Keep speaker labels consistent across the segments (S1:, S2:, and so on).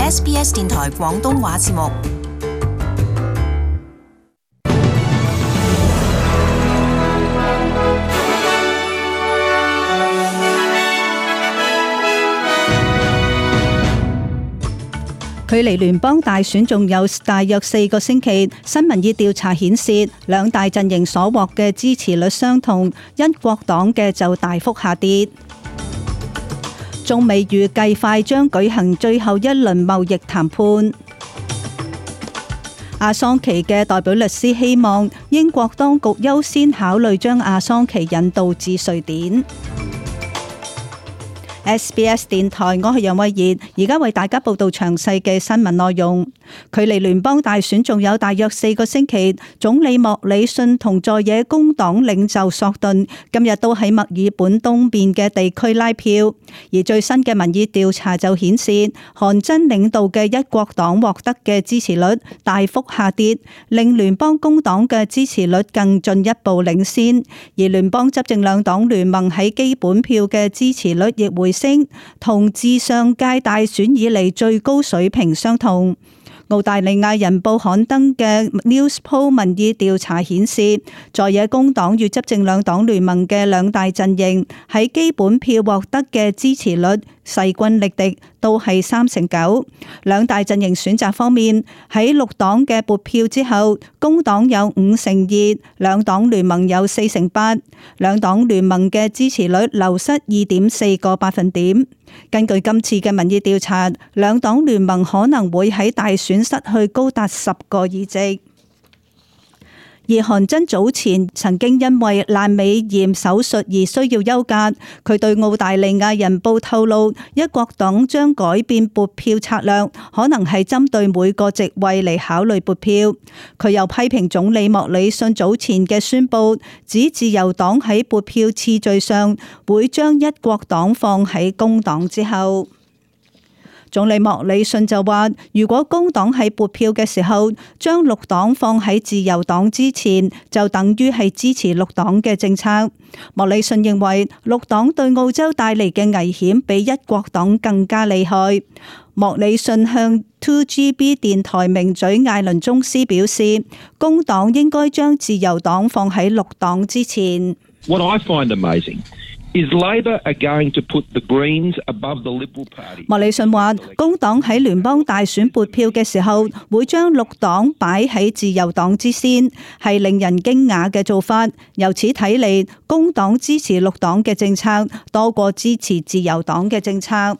S1: SBS 電台廣東話節目。
S2: 距離聯邦大選仲有大約4個星期，新民意調查顯示，兩大陣營所獲嘅支持率相同，一國黨嘅就大幅下跌。中美預計快將舉行最後一輪貿易談判。阿桑奇嘅代表律師希望英國當局優先考慮將阿桑奇引渡至瑞典。SBS 電台，我係楊慧儀，而家為大家報道詳細嘅新聞內容。距離聯邦大選仲有大約4個星期，總理莫里遜同在野工黨領袖索頓今日都喺墨爾本東邊嘅地區拉票，而最新嘅民意調查就顯示，韓真領導嘅一國黨獲得嘅支持率大幅下跌，令聯邦工黨嘅支持率更進一步領先，而聯邦執政兩黨聯盟喺基本票嘅支持率亦回升，同自上屆大選以嚟最高水平相同。澳大利亞人報刊登嘅 Newspoll 民意調查顯示，在野工黨與執政兩黨聯盟嘅兩大陣營喺基本票獲得嘅支持率勢均力敵，都係3成9。兩大陣營選擇方面，喺綠黨嘅撥票之後，工黨有5成2，兩黨聯盟有4成8。兩黨聯盟嘅支持率流失2.4個百分點。根據今次嘅民意調查，兩黨聯盟可能會喺大選失去高達10個議席。而韓真早前曾經因為闌尾炎手術而需要休假，佢對澳大利亞人報透露，一國黨將改變撥票策略，可能係針對每個席位嚟考慮撥票。佢又批評總理莫里遜早前嘅宣佈，指自由黨喺撥票次序上會將一國黨放喺工黨之後。總理莫里遜就話，如果工黨喺撥票嘅時候將綠黨放喺自由黨之前，就等於係支持綠黨嘅政策。莫里遜認為綠黨對澳洲帶嚟嘅危險比一國黨更加厲害。莫里遜向 2GB 電台名嘴艾倫宗斯表示，工黨應該將自由黨放喺綠黨之前。
S3: What I find amazing is Labor are going to put the Greens above the Liberal Party.
S2: 莫里遜話，工黨喺聯邦大選撥票嘅時候，會將綠黨擺喺自由黨之先，係令人驚訝嘅做法。由此睇嚟，工黨支持綠黨嘅政策多過支持自由黨嘅政策。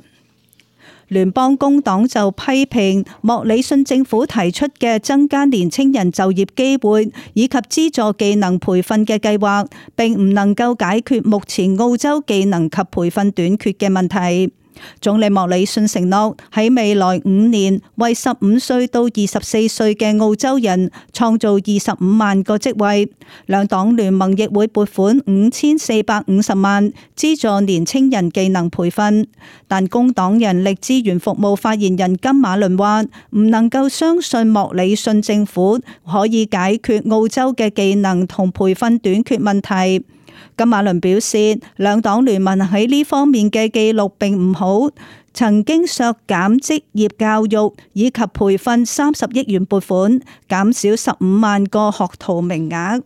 S2: 聯邦工黨就批評莫里遜政府提出嘅增加年青人就業機會以及資助技能培訓嘅計劃，並唔能夠解決目前澳洲技能及培訓短缺嘅問題。總理莫里遜承諾喺未來5年為15歲到24歲嘅澳洲人創造25萬個職位。兩黨聯盟亦會撥款5450萬資助年青人技能培訓。但工黨人力資源服務發言人金馬倫話，唔能夠相信莫里遜政府可以解決澳洲嘅技能同培訓短缺問題。金馬倫表示，兩黨聯盟喺呢方面嘅記錄並唔好，曾經削減職業教育以及培訓30億元撥款，減少15萬個學徒名額。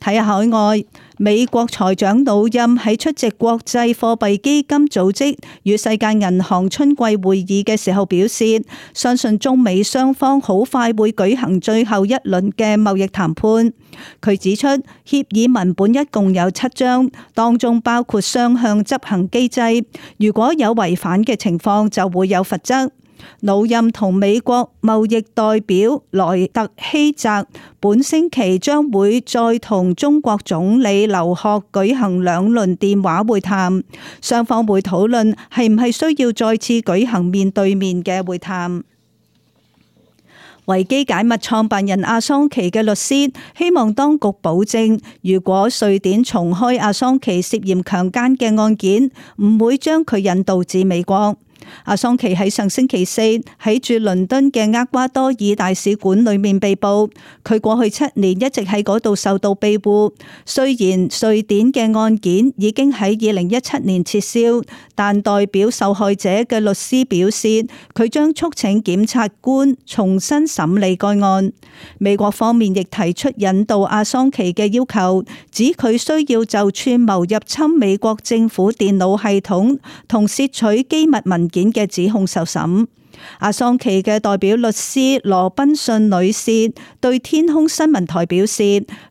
S2: 睇下海外，美國財長努欽喺出席國際貨幣基金組織與世界銀行春季會議嘅時候表示，相信中美雙方好快會舉行最後一輪嘅貿易談判。佢指出，協議文本一共有7章，當中包括雙向執行機制，如果有違反嘅情況就會有罰則。努欽同美國貿易代表萊特希澤本星期將會再同中國總理劉鶴舉行2輪電話會談，雙方會討論係唔係需要再次舉行面對面嘅會談。維基解密創辦人阿桑奇嘅律師希望當局保證，如果瑞典重開阿桑奇涉嫌強姦嘅案件，唔會將佢引渡至美國。阿桑奇喺上星期四喺駐倫敦嘅厄瓜多爾大使館裏面被捕，佢過去7年一直喺嗰度受到庇護。雖然瑞典嘅案件已經喺2017年撤銷，但代表受害者嘅律師表示，佢將促請檢察官重新審理該案。美國方面亦提出引渡阿桑奇嘅要求，指佢需要就串謀入侵美國政府電腦系統同竊取機密文件嘅指控受審。阿桑奇嘅代表律師羅賓遜女士對天空新聞台表示，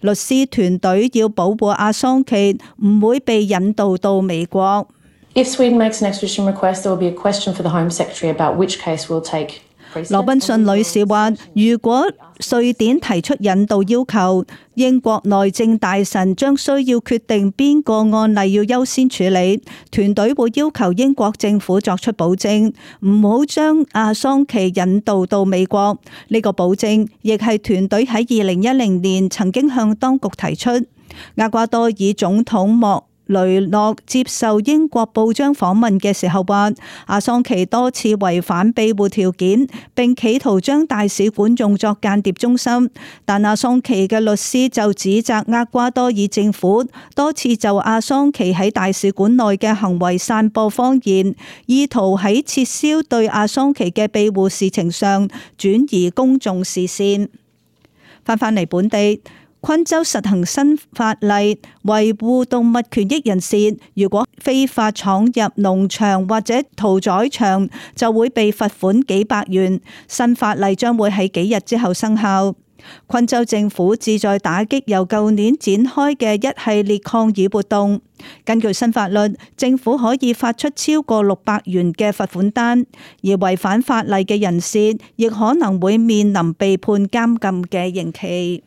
S2: 律師團隊要保護阿桑奇唔會被引渡到美國。
S4: If Sweden makes an extradition request, there will be a question for the Home Secretary about which case will take.
S2: 羅賓遜女士話，如果瑞典提出引渡要求，英國內政大臣將需要決定邊個案例要優先處理。團隊會要求英國政府作出保證，唔好將阿桑奇引渡到美國。呢個保證亦係團隊喺2010年曾經向當局提出。厄瓜多爾總統莫雷諾接受英國報章訪問嘅時候話，阿桑奇多次違反庇護條件，並企圖將大使館用作間諜中心。但阿桑奇嘅律師就指責厄瓜多爾政府多次就阿桑奇喺大使館內嘅行為散播謊言，意圖喺撤銷對阿桑奇嘅庇護事情上轉移公眾視線。返嚟本地，昆州實行新法例，維護動物權益人士如果非法闖入農場或者屠宰場，就會被罰款幾百元。新法例將會喺幾日之後生效。昆州政府旨在打擊由舊年展開嘅一系列抗議活動。根據新法律，政府可以發出超過600元嘅罰款單，而違反法例嘅人士亦可能會面臨被判監禁嘅刑期。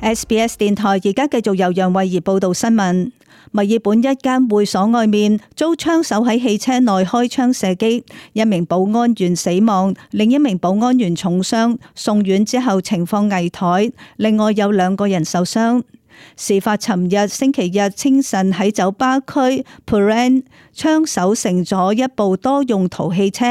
S2: SBS 電台而家繼續由楊慧儀報道新聞。墨爾本一間會所外面遭槍手喺汽車內開槍射擊，一名保安員死亡，另一名保安員重傷，送院之後情況危殆，另外有2個人受傷。事發尋日星期日清晨喺酒吧區 Prahran， 槍手乘咗一部多用途汽車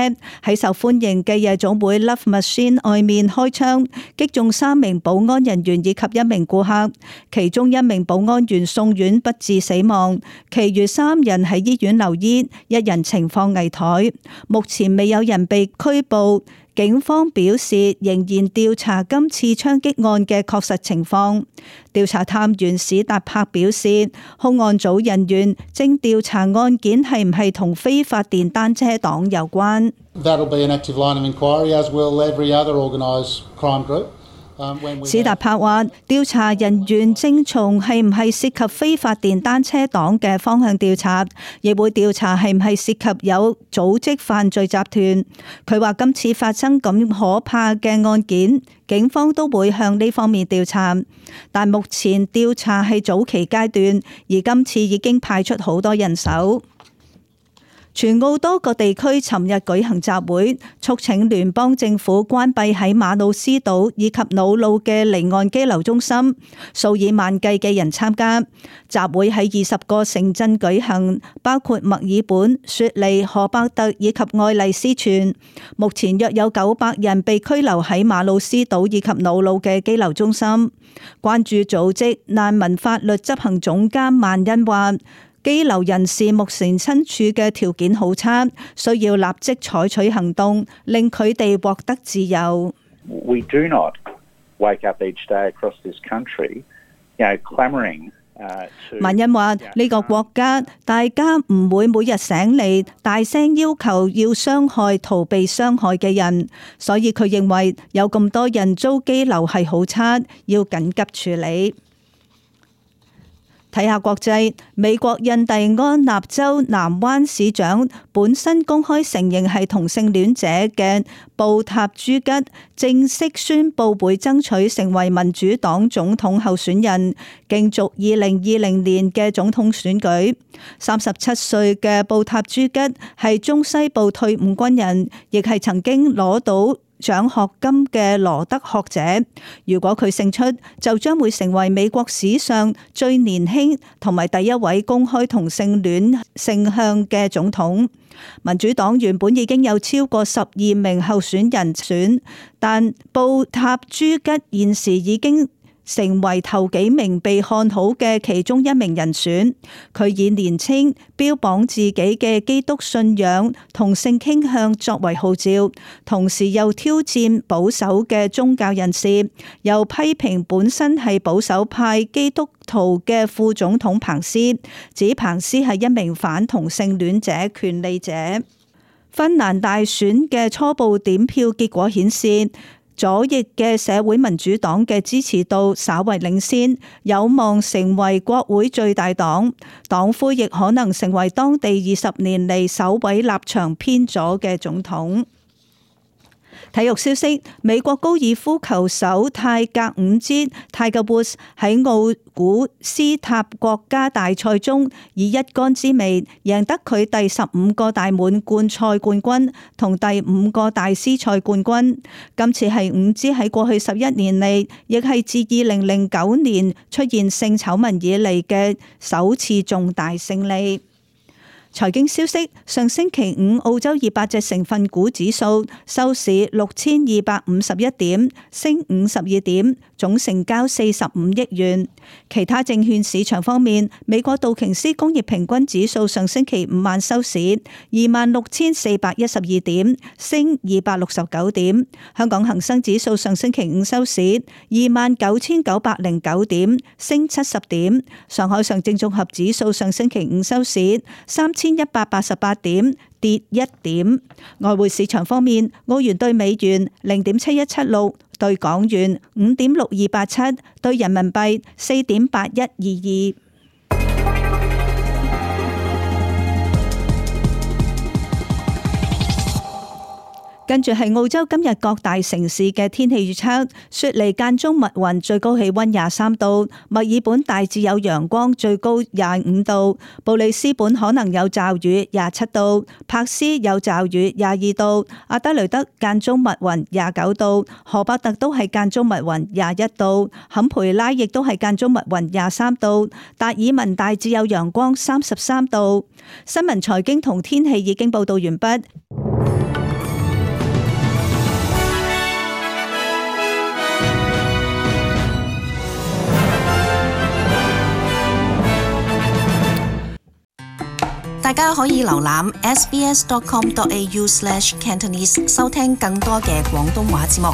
S2: 喺受歡迎嘅夜總會 Love Machine 外面開槍，擊中3名保安人員以及1名顧客，其中1名保安員送院不治死亡，其餘3人喺醫院留醫，1人情況危殆，目前未有人被拘捕。警方表示仍然調查今次槍擊案嘅確實情況。調查探員史達柏表示，凶案組人員正調查案件係唔係同非法電單車黨有關。
S5: That'll be an active line of inquiry, as will every other organised crime group.
S2: 史達柏話，調查人員正從係唔係涉及非法電單車黨嘅方向調查，亦會調查係唔係涉及有組織犯罪集團。佢話今次發生咁可怕嘅案件，警方都會向呢方面調查，但目前調查係早期階段，而今次已經派出好多人手。全澳多個地區尋日舉行集會，促請聯邦政府關閉喺馬魯斯島以及瑙魯嘅離岸羈留中心，數以萬計嘅人參加。集會喺20個城鎮舉行，包括墨爾本、雪梨、荷伯特以及愛麗絲泉。目前約有900人被拘留喺馬魯斯島以及瑙魯嘅羈留中心。關注組織難民法律執行總監萬恩話，羈留人士目前身處嘅條件好差，需要立即採取行動，令佢哋獲得自由。
S6: We do not wake up each day across this country, clamoring.
S2: 萬恩話：呢個國家大家唔會每日醒嚟大聲要求要傷害逃避傷害嘅人，所以佢認為有咁多人遭羈留係好差，要緊急處理。睇下國際，美國印第安納州南灣市長本身公開承認係同性戀者嘅布塔朱吉正式宣布會爭取成為民主黨總統候選人，競逐2020年嘅總統選舉。37歲嘅布塔朱吉係中西部退伍軍人，亦係曾經攞到獎學金嘅羅德學者。如果佢勝出，就將會成為美國史上最年輕同埋第一位公開同性戀性向嘅總統。民主黨原本已經有超過12名候選人選，但布塔朱吉現時已經成為頭幾名被看好嘅其中一名人選。佢以年輕、標榜自己嘅基督信仰同性傾向作為號召，同時又挑戰保守嘅宗教人士，又批評本身係保守派基督徒嘅副總統彭斯，指彭斯係一名反同性戀者權利者。芬蘭大選嘅初步點票結果顯示，左翼嘅社會民主黨嘅支持度稍為領先，有望成為國會最大黨。黨魁亦可能成為當地20年嚟首位立場偏左嘅總統。體育消息：美國高爾夫球手泰格伍茲 Tiger Woods 喺奧古斯塔國家大賽中以一桿之微贏得佢第15個大滿貫賽冠軍同第5個大師賽冠軍。今次係伍茲喺過去11年嚟，亦係自2009年出現性醜聞以嚟嘅首次重大勝利。財經消息：上星期五澳洲200隻成分股指數收市6251點，升52點，總成交45億元。其他證券市場方面，美國道瓊斯工業平均指數上星期五晚收市26,412點，升269點。香港恒生指數上星期五收市29,909點，升70點。上海上證綜合指數上星期五收市3,188點，跌1點。外匯市場方面，澳元兌美元0.7176，兌港元5.6287，兌人民幣4.8122。跟住係澳洲今日各大城市嘅天氣預測：雪梨間中密雲，最高氣溫23度；墨爾本大致有陽光，最高25度；布里斯本可能有驟雨，27度；柏斯有驟雨，22度；阿德雷德間中密雲，29度；荷伯特都係間中密雲，21度；坎培拉亦都係間中密雲，23度；達爾文大致有陽光，33度。新聞、財經同天氣已經報道完畢。
S1: 大家可以瀏覽 sbs.com.au/cantonese 收聽更多嘅廣東話節目。